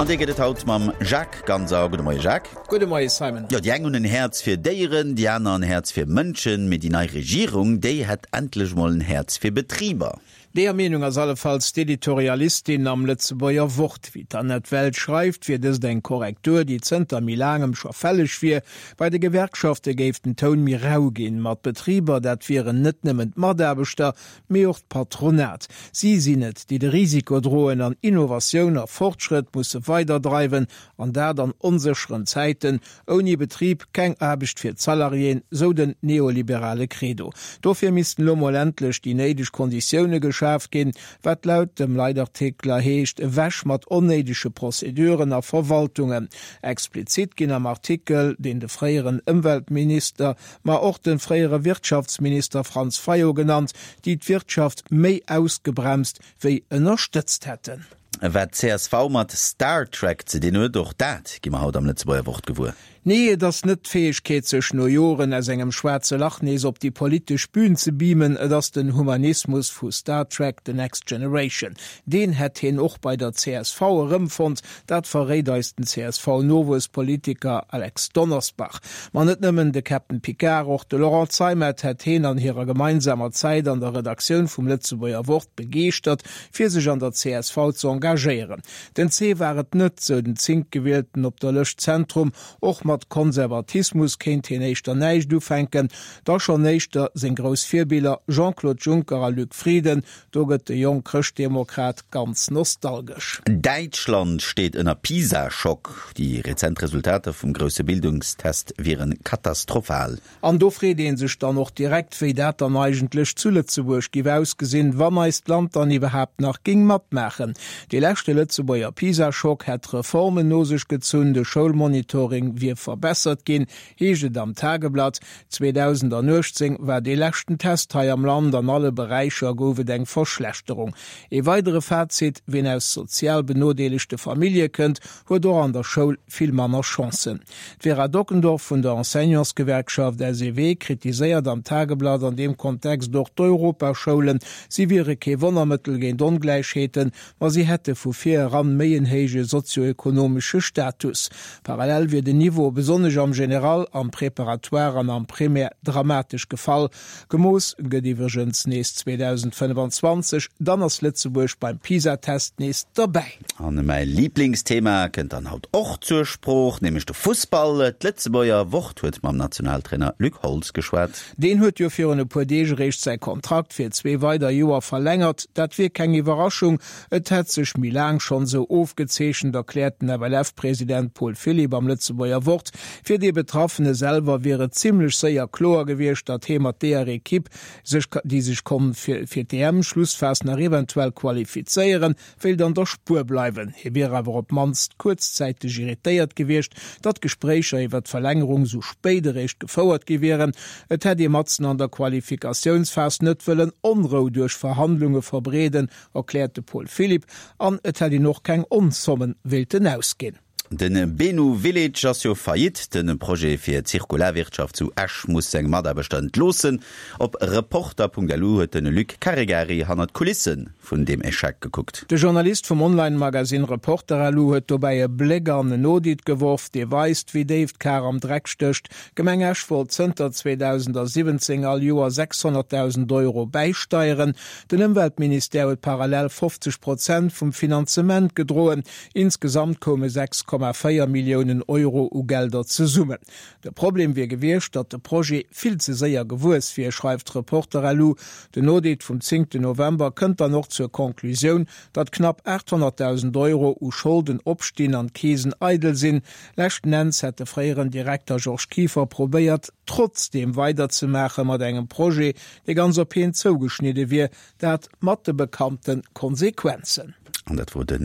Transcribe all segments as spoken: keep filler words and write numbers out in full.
An dee gëtt et haut mam Jacques Ganser. Gudde Moie Jacques. Gudde Moie Simon. Jo, déi eng hunn en Häerz fir Déieren, déi aner en Häerz fir Mënschen, mee déi nei Regierung, déi hätt endlech mol en Häerz fir Betriber. Deeër Meenung ass allefalls d'Editorialistin am Lëtzebuerger Wort. Wéi d'Annette Welsch schreift, wier dëst eng Korrektur, déi zënter méi laangem scho fälleg wier. Bei de Gewerkschafte géif den Toun méi rau ginn. Ma d'Betriber, dat wieren net nëmmen d'Mataarbechter, mee och d'Patronat. Si sinn et, déi de Risiko droen an Innovatioun a Fortschrëtt musse weiderdreiwen, an dat an onsécheren Zäiten. Ouni Betrib keng Aarbecht fir d'Salariéen, sou den neoliberale Credo. Dofir missten elo mol endlech déi néideg Konditioune geschaf ginn, wat laut dem Leitartikler heescht, ewech mat onnéidege Prozeduren a Verwaltungen. Explizit ginn am Artikel, deen de fréieren Ëmweltminister, ma och de fréiere Wirtschaftsminister Franz Fayot genannt, déi d'Wirtschaft méi ausgebremst wéi ënnerstëtzt hätten. Wat csv mat Star Trek ze dinn huet, och dat gi mer haut am Lëtzebuerger Wort gewuer. Nee, et ass net d'Fäegkeet, sech no Joren aus engem schwaarze Lach nees op déi politesch Bühn ze beamen, et ass den Humanismus vu Star Trek, The Next Generation. Deen hätt hien och bei der csv erëmfonnt, dat verréit eis den CSV-Nowuesspolitiker Alex Donnersbach. Ma net nëmmen de Captain Picard, och de Laurent Zeimet hätt hien an hirer gemeinsamer Zäit an der Redaktioun vum Lëtzebuerger Wort begeeschtert, fir sech an der csv ze engagéieren. Den C war et net, sou den Zéngtgewielten op der Lëscht Zentrum. Och mat Konservatismus kéint hien éischter näischt ufänken, da schonn éischter seng grouss Virbiller Jean-Claude Juncker a Luc Frieden, do gëtt de jonk Chrëschtdemokrat ganz nostalgesch. Däitschland steet ënner PISA-Schock. Déi rezent Resultater vum grousse Bildungstest wiere katastrophal. An do freet ee sech dann och direkt, wéi dat dann eigentlech zu Lëtzebuerg giff ausgesinn, wann eist Land dann iwwerhaapt nach géing matmaachen. Dee leschte Lëtzebuerger PISA-Schock hätt Reformen no sech gezunn, de Schoulmonitoring wier verbessert ginn, heescht et am Tageblatt. zweedausendanuechtzéng war dee leschten Test hei am Land, an alle Beräicher gouf et eng Verschlechterung. Ee weidere Fazit, Wien aus sozial benodeelegte Famillje kënnt, huet och an der Schoul vill manner Chancen. D'Vera Dockendorf vun der Enseignantsgewerkschaft S E W kritiséiert am Tageblatt an deem Kontext och d'Europaschoulen. Si wiere kee Wonnermëttel géint Ongläichheeten, ma si hätte vu vir eran méi en héije sozioekonomesche Status. Parallel wier den Niveau, besonnesch am General, am Préparatoire an am Primaire dramatesch gefall. Gemooss gëtt iwwregens nees zweedausendfënnefanzwanzeg, dann ass Lëtzebuerg beim PISA-Test nees derbäi. An mäi Liblingsthema kënnt dann haut och zur Sprooch, nämlech de Fussball. D'Lëtzebuerger Wort huet mam Nationaltrainer Luc Holtz geschwat. Deen huet jo virun e puer Deeg eréischt säi Kontrakt fir zwee weider Joer verlängert. Dat wier keng Iwwerraschung, et hätt sech méi laang schonn esou ofgezeechent, erkläert den F L F-President Paul Philipp am Lëtzebuerger Wort. Fir dee Betraffene selwer wier et zimmlech séier kloer gewiescht, datt hee mat deeër Ekipp, sech déi sech konnt fir fir d'E M-Schlussphas nach eventuell qualifizéieren, wéilt an der Spuer bleiwen. Hie wier awer op d'mannst kuerzzäiteg irritéiert gewiescht, datt d'Gespréicher iwwer d'Verlängerung sou spéit eréischt gefouert gi wieren. Et hätt ee matzen an der Qualifikatiounsphas net wëllen Onrou duerch Verhandlunge verbreeden, erkläert de Paul Philipp, an et hätt een och keng Onzommen wéilten ausginn. De Benu Village ass jo faillite. De Projet fir Zirkularwirtschaft zu Esch muss seng Mataarbechter entloossen. Op Reporter Punkt L U huet de Luc Caregari hannert d'Kulisse vun deem Echec gekuckt. De Journalist vum Online-Magasinn Reporter L U huet dobäi e Bléck an en Audit geworf, dee weist, wéi déif d'Kar am Dreck stécht. D'Gemeng Esch wollt zënter zweedausendasiwwenzéng all Joer sechshonnertdausend Euro bäisteieren. Den Ëmweltministère huet parallel fofzeg Prozent vum Finanzement gedroen. Insgesamt koume sechs Komma véier Milliounen Euro u Gelder zesummen. De Problem wier gewiescht, datt de Projet vill ze séier gewuess wier, schreift Reporter L U. Den Audit vum zéngten November kënnt dann och zur Conclusioun, datt knapp aathonnertdausend Euro u Scholden opstinn an d'Keesen eidel sinn. Leschten Enns hätt de fréieren Direkter Georges Kieffer probéiert, trotzdeem weiderzemaache mat engem Projet, dee ganz op hien zougeschnidde wier, dat mat de bekannte Konsequenzen. An dat wor de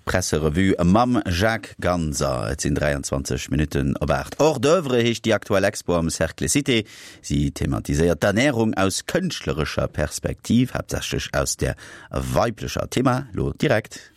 Presserevue mam Jacques Ganser. Et sinn dräianzwanzeg Minutten op aacht. Hors d'oeuvre heescht déi aktuell Expo am Cercle Cité. Si thematiséiert d'Ernärung aus kënschtlerescher Perspektiv, haaptsächlech aus der weiblecher. Thema lo direkt.